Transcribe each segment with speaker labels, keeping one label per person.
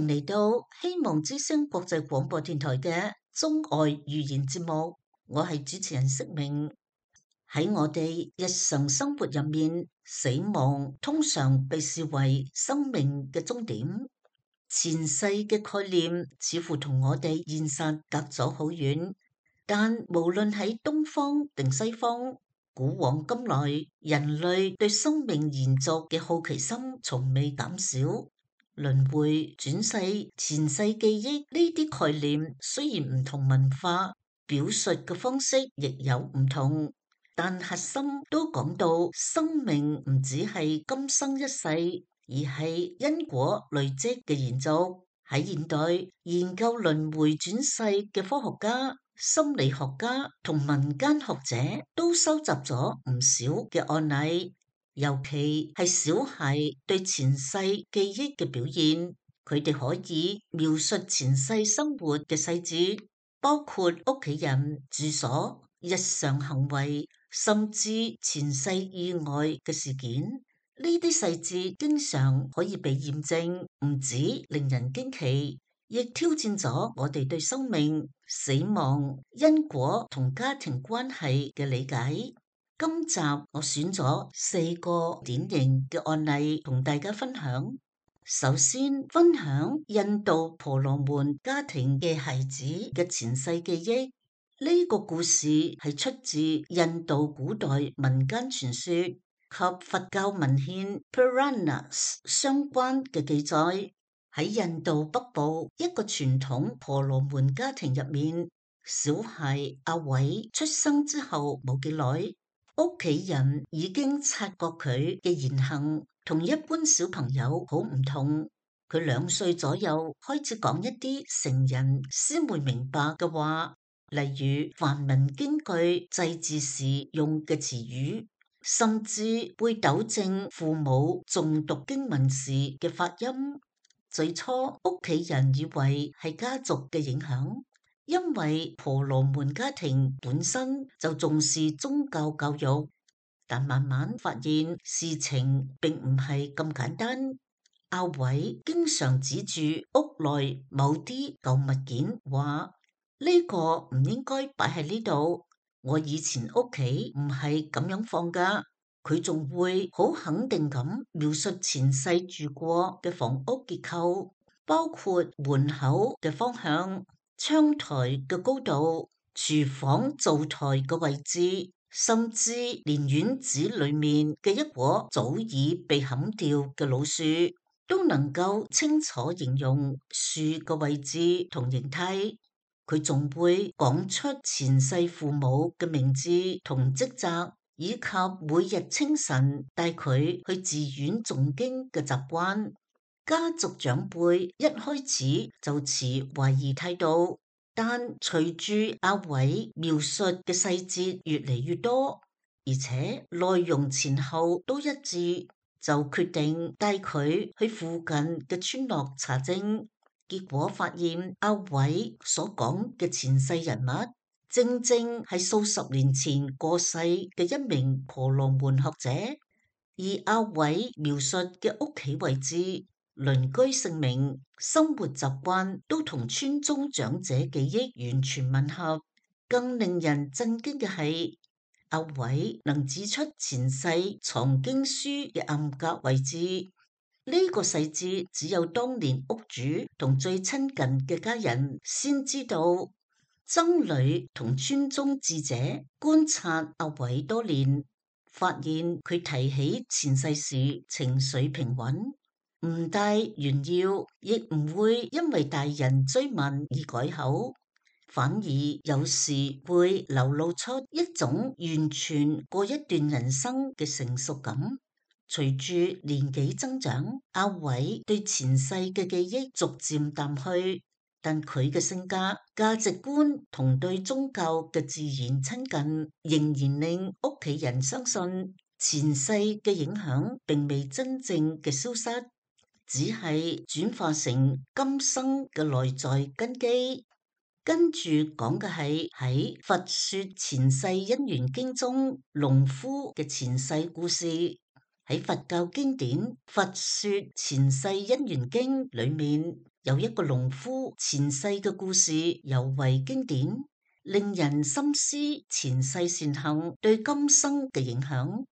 Speaker 1: 迎嚟到希望之聲國際廣播電台嘅中外語言節目，我係主持人釋明。喺我哋日常生活入面，死亡通常被視為生命嘅終點。前世嘅概念似乎同我哋現實隔咗好遠，但無論喺東方定西方，古往今來，人類對生命延續嘅好奇心從未減少。輪迴、轉世、前世記憶呢啲概念雖然唔同文化表述嘅方式亦有唔同，但核心都講到生命唔只係今生一世，而係因果累積嘅延續。喺現代研究輪迴轉世嘅科學家、心理學家同民間學者都收集咗唔少嘅案例。尤其係小孩對前世記憶嘅表現，佢哋可以描述前世生活嘅細節，包括屋企人、住所、日常行為，甚至前世意外嘅事件。呢啲細節經常可以被驗證，唔止令人驚奇，亦挑戰咗我哋對生命、死亡、因果同家庭關係嘅理解。今集我選咗4個典型嘅案例同大家分享。首先分享印度婆羅門家庭嘅孩子嘅前世記憶。呢個故事係出自印度古代民間傳說及佛教文獻 Puranas 相關嘅記載。喺印度北部一個傳統婆羅門家庭入面，小孩阿偉出生之後冇幾耐，屋企人已經察覺佢嘅言行同一般小朋友好唔同。佢2歲左右開始講一啲成人先會明白嘅話，例如梵文經句祭祀時用嘅詞語，甚至會糾正父母誦讀經文時嘅發音。最初屋企人以為係家族嘅影響，因為婆羅門家庭本身就重視宗教教育，但慢慢發現事情並唔係咁簡單。阿偉經常指住屋內某啲舊物件，話呢個唔應該擺喺呢度，我以前屋企唔係咁樣放㗎。佢仲會好肯定咁描述前世住過嘅房屋結構，包括門口嘅方向、窗台嘅高度、廚房灶台嘅位置，甚至連院子裏面嘅一棵早已被砍掉嘅老樹，都能夠清楚形容樹嘅位置同形態。佢仲會講出前世父母嘅名字同職責，以及每日清晨帶佢去寺院誦經嘅習慣。家族長輩一開始就持懷疑態度，但隨住阿偉描述嘅細節越嚟越多，而且內容前後都一致，就決定帶佢去附近嘅村落查證。結果發現阿偉所講嘅前世人物，正正係數十年前過世嘅一名婆羅門學者，而阿偉描述嘅屋企位置、鄰居姓名、生活習慣都同村中長者記憶完全吻合。更令人震驚嘅係，阿偉能指出前世藏經書嘅暗格位置，呢個細節只有當年屋主同最親近嘅家人先知道。僧侶同村中智者觀察阿偉多年，發現佢提起前世時情緒平穩，唔帶炫耀，亦唔會因為大人追問而改口，反而有時會流露出一種完全過一段人生嘅成熟感。隨住年紀增長，阿偉對前世嘅記憶逐漸淡去，但佢嘅性格、價值觀同對宗教嘅自然親近，仍然令屋企人相信前世嘅影響並未真正嘅消失，只係轉化成今生嘅內在根基。跟住講嘅係喺《佛說前世因緣經》中農夫嘅前世故事。喺佛教經典《佛說前世因緣經》裏面，有一個農夫前世嘅故事尤為經典，令人深思前世善行對今生嘅影響。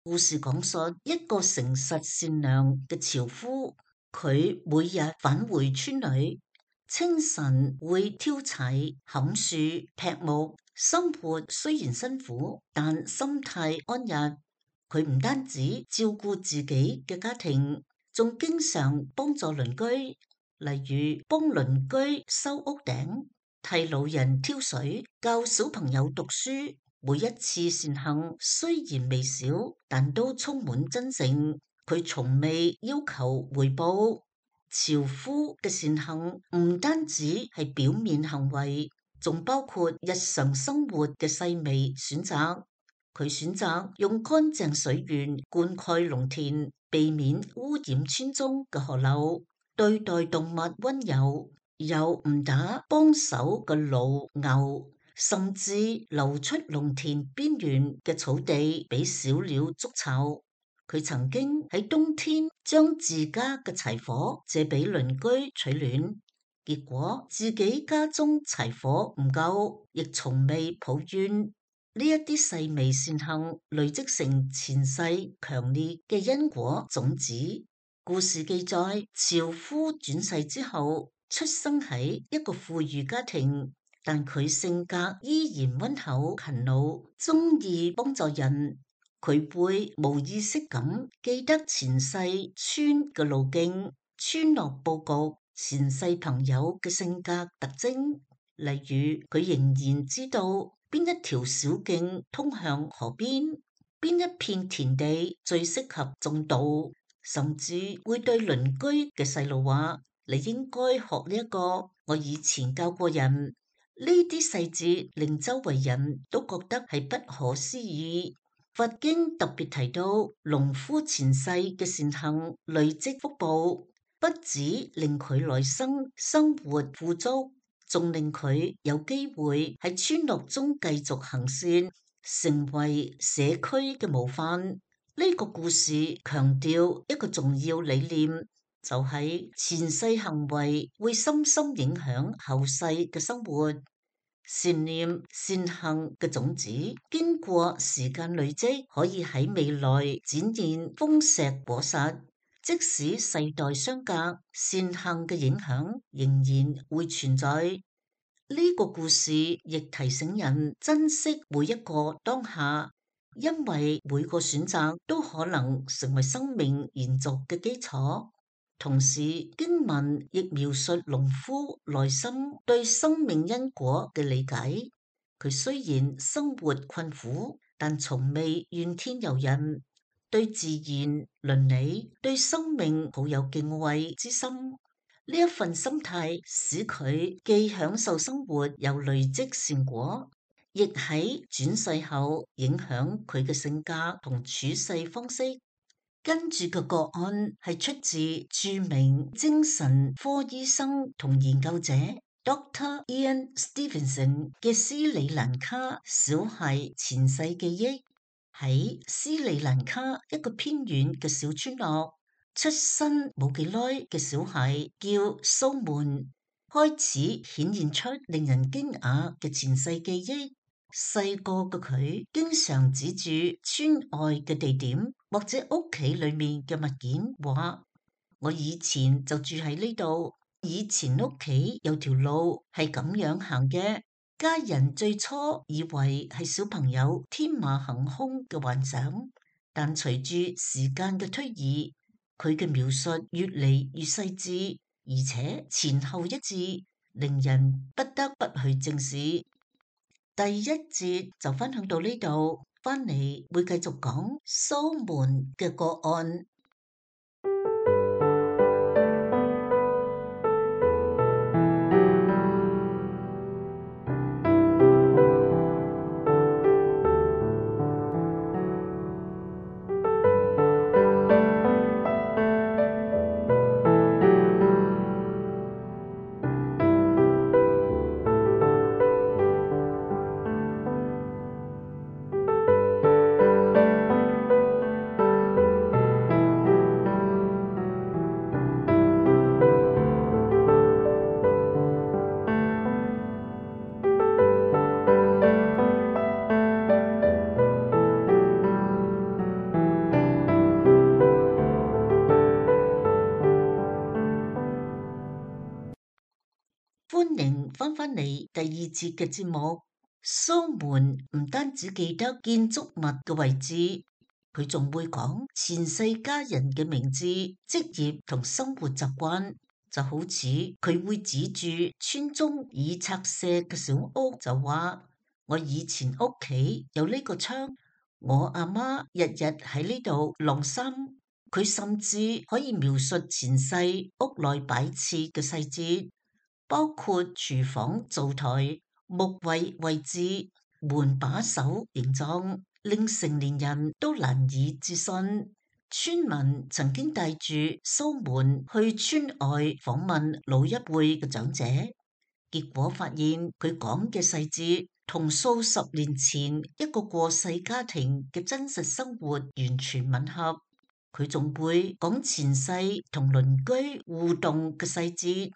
Speaker 1: 故事講述一個誠實善良嘅樵夫，佢每日返回村裏，清晨會挑柴、砍樹、劈木，生活雖然辛苦，但心態安逸。佢唔單止照顧自己嘅家庭，仲經常幫助鄰居，例如幫鄰居修屋頂、替老人挑水、教小朋友讀書。每一次善行雖然微小，但都充滿真誠。佢從未要求回報。樵夫嘅善行唔單止係表面行為，仲包括日常生活嘅細微選擇。佢選擇用乾淨水源灌溉農田，避免污染村中嘅河流，對待動物溫柔，又唔打幫手嘅驢牛，甚至留出農田邊緣嘅草地俾小鳥築巢。佢曾經喺冬天將自家嘅柴火借俾鄰居取暖，結果自己家中柴火唔夠，亦從未抱怨。呢一啲細微善行累積成前世強烈嘅因果種子。故事記載，樵夫轉世之後，出生喺一個富裕家庭，但佢性格依然溫厚勤勞，中意幫助人。佢會無意識咁記得前世村嘅路徑、村落佈局、前世朋友嘅性格特徵。例如，佢仍然知道邊一條小徑通向河邊，邊一片田地最適合種稻，甚至會對鄰居嘅細路話：你應該學呢一個，我以前教過人。呢啲細節令周圍人都覺得係不可思議。佛經特別提到，農夫前世嘅善行累積福報，不止令佢來生活富足，仲令佢有機會喺村落中繼續行善，成為社區嘅模範。呢個故事強調一個重要理念，就係前世行為會深深影響後世嘅生活。善念善行嘅種子，經過時間累積，可以喺未來展現豐碩果實。即使世代相隔，善行嘅影響仍然會存在。呢個故事亦提醒人珍惜每一個當下，因為每個選擇都可能成為生命延續嘅基礎。同時，經文亦描述農夫內心對生命因果嘅理解。佢雖然生活困苦，但從未怨天尤人，對自然倫理、對生命抱有敬畏之心。呢一份心態使佢既享受生活，又累積善果，亦喺轉世後影響佢嘅性格同處世方式。跟住嘅個案係出自著名精神科醫生同研究者 Dr. Ian Stevenson 嘅斯里蘭卡小孩前世記憶。喺斯里蘭卡一個偏遠嘅小村落，出生冇幾耐嘅小孩叫蘇門，開始顯現出令人驚訝嘅前世記憶。細個嘅佢經常指住村外嘅地點或者屋企裏面嘅物件，話：我以前就住喺呢度，以前屋企有條路係咁樣行嘅。家人最初以為係小朋友天馬行空嘅幻想，但隨住時間嘅推移，佢嘅描述越嚟越細緻，而且前後一致，令人不得不去正視。第一節就分享到呢度，翻嚟會繼續講蘇門嘅個案。返嚟第二節嘅節目，蘇門唔單止記得建築物嘅位置，佢仲會講前世家人嘅名字、職業同生活習慣。就好似佢會指住村中已拆卸嘅小屋，就話我以前屋企有呢個窗，我阿媽日日喺呢度晾衫。佢甚至可以描述前世屋內擺設嘅細節，包括廚房灶台、木櫃位置、門把手形狀，令成年人都難以置信。村民曾經帶住蘇門去村外訪問老一輩嘅長者，結果發現佢講嘅細節同數十年前一個過世家庭嘅真實生活完全吻合。佢仲會講前世同鄰居互動嘅細節，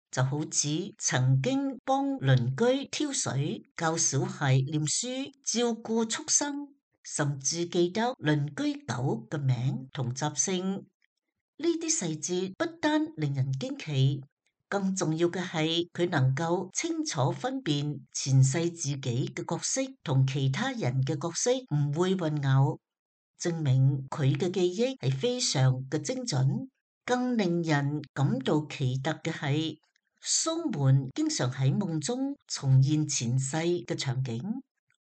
Speaker 1: 就好似曾經幫鄰居挑水、教小孩念書、照顧畜生，甚至記得鄰居狗嘅名同習性。呢啲細節不單令人驚奇，更重要嘅係佢能夠清楚分辨前世自己嘅角色同其他人嘅角色唔會混淆，證明佢嘅記憶係非常嘅精準。更令人感到奇特嘅係，蘇門經常喺夢中重現前世嘅場景，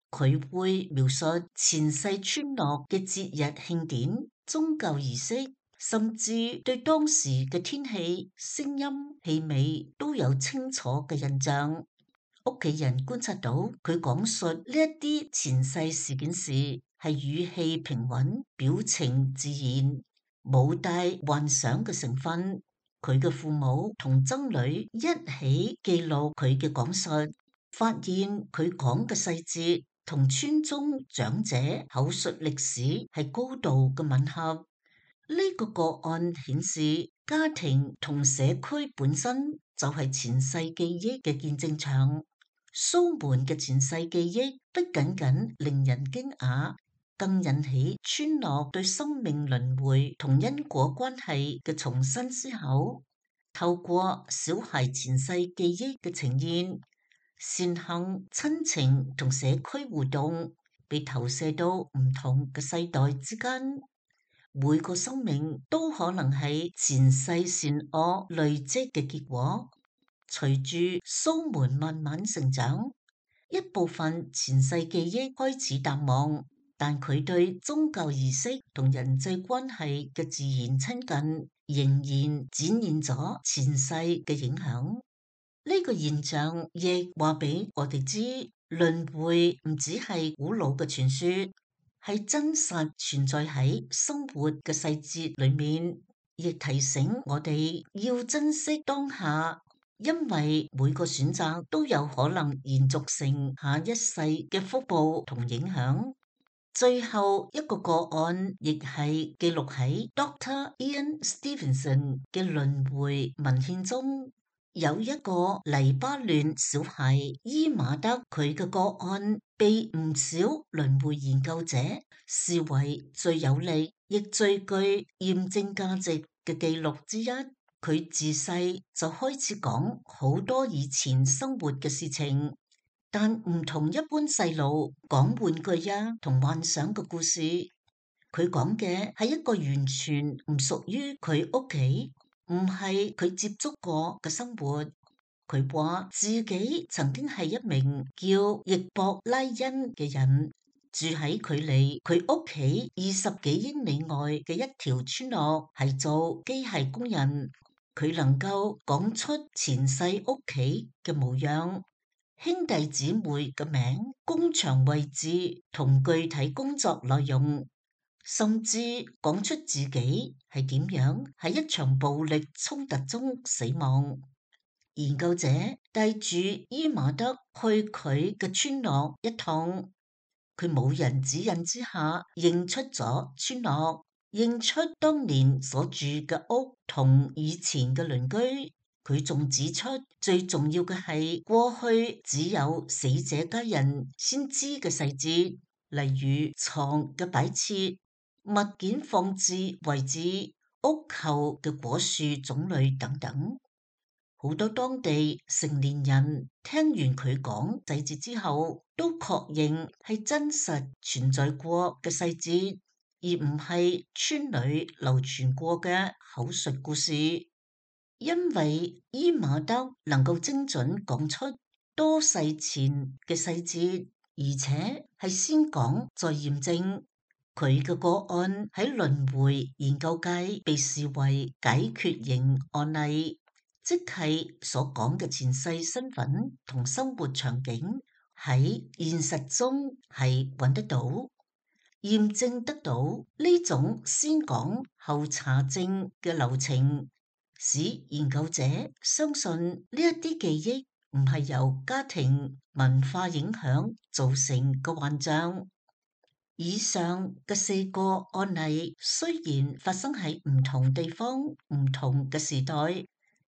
Speaker 1: 佢會描述前世村落嘅節日慶典、宗教儀式，甚至對當時嘅天氣、聲音、氣味都有清楚嘅印象。屋企人觀察到佢講述呢一啲前世事件時，係語氣平穩，表情自然，冇帶幻想嘅成分。佢嘅父母同曾女一起記錄佢嘅講述，發現佢講嘅細節同村中長者口述歷史係高度嘅吻合。呢個個案顯示，家庭同社區本身就係前世記憶嘅見證場。蘇門嘅前世記憶不僅僅令人驚訝，更引起村落對生命輪迴同因果關係嘅重新思考。透過小孩前世記憶嘅呈現，善行、親情同社區互動被投射到唔同嘅世代之間。每個生命都可能係前世善惡累積嘅結果。隨住蘇門慢慢成長，一部分前世記憶開始淡忘，但佢對宗教儀式同人際關係嘅自然親近，仍然展現咗前世嘅影響。呢個現象亦話俾我哋知，輪迴唔只係古老嘅傳說，係真實存在喺生活嘅細節裏面，亦提醒我哋要珍惜當下。因為每個選擇都有可能延續成下一世嘅福報同影響。最後一個個案亦係記錄喺 Dr. Ian Stevenson 嘅輪迴文獻中，有一個黎巴嫩小孩伊馬德，佢嘅個案被唔少輪迴研究者視為最有力亦最具驗證價值嘅記錄之一。佢自細就開始講好多以前生活嘅事情，但唔同一般細路講玩具同幻想嘅故事。佢講嘅係一個完全唔屬於佢屋企，唔係佢接觸過嘅生活。佢話自己曾經係一名叫易博拉恩嘅人，住喺距離佢屋企20幾英里外嘅一條村落，係做機械工人。佢能夠講出前世屋企嘅模樣、兄弟姊妹嘅名、工場位置同具體工作內容，甚至講出自己係點樣喺一場暴力衝突中死亡。研究者帶住伊馬德去佢嘅村落一趟，佢冇人指引之下認出咗村落，認出當年所住嘅屋同以前嘅鄰居。佢仲指出，最重要嘅係過去只有死者家人先知嘅細節，例如床嘅擺設、物件放置位置、屋後嘅果樹種類等等。好多當地成年人聽完佢講細節之後，都確認係真實存在過嘅細節，而唔係村裏流傳過嘅口述故事。因為伊瑪德能夠精準講出多世前嘅細節，而且係先講再驗證。佢嘅個案喺輪迴研究界被視為解決型案例。即係所講嘅前世身份同生活場景喺現實中係揾得到、驗證得到。呢種先講後查證嘅流程，使研究者相信呢一啲記憶唔係由家庭文化影響造成嘅幻象。以上嘅4個案例雖然發生喺唔同地方、唔同嘅時代，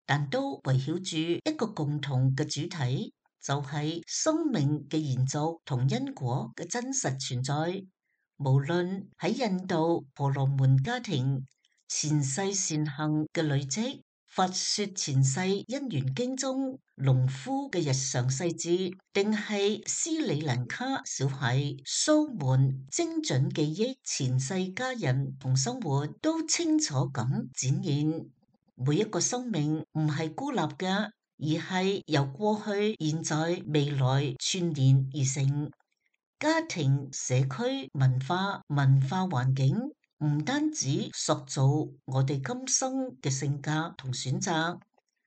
Speaker 1: 但都圍繞住一個共同嘅主題，就係生命嘅延續同因果嘅真實存在。無論喺印度婆羅門家庭前世善行嘅累積，佛說前世因緣經中農夫嘅日常細節，定係斯里蘭卡小孩蘇門精準記憶前世家人同生活，都清楚咁展現。每一個生命唔係孤立嘅，而係由過去、現在、未來串聯而成。家庭、社區、文化環境唔單止塑造我哋今生嘅性格同選擇，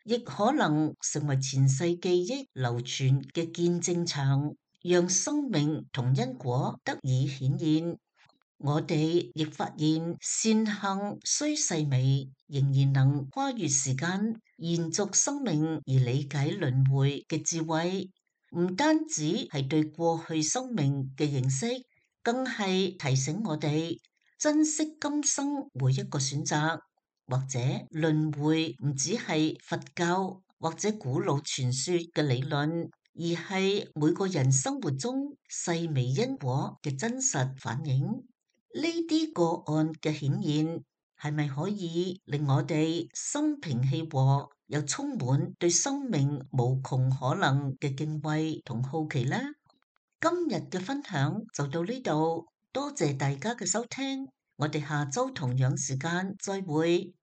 Speaker 1: 亦可能成為前世記憶流傳嘅見證場，讓生命同因果得以顯現。我哋亦發現善行雖細微，仍然能跨越時間，延續生命而理解輪迴嘅智慧。唔單止係對過去生命嘅認識，更係提醒我哋珍惜今生每一個選擇。或者輪迴唔只係佛教或者古老傳說嘅理論，而係每個人生活中細微因果嘅真實反映。呢啲個案嘅顯現，係咪可以令我哋心平氣和，又充滿對生命無窮可能嘅敬畏同好奇呢？今日嘅分享就到呢度，多謝大家嘅收聽，我哋下周同樣時間再會。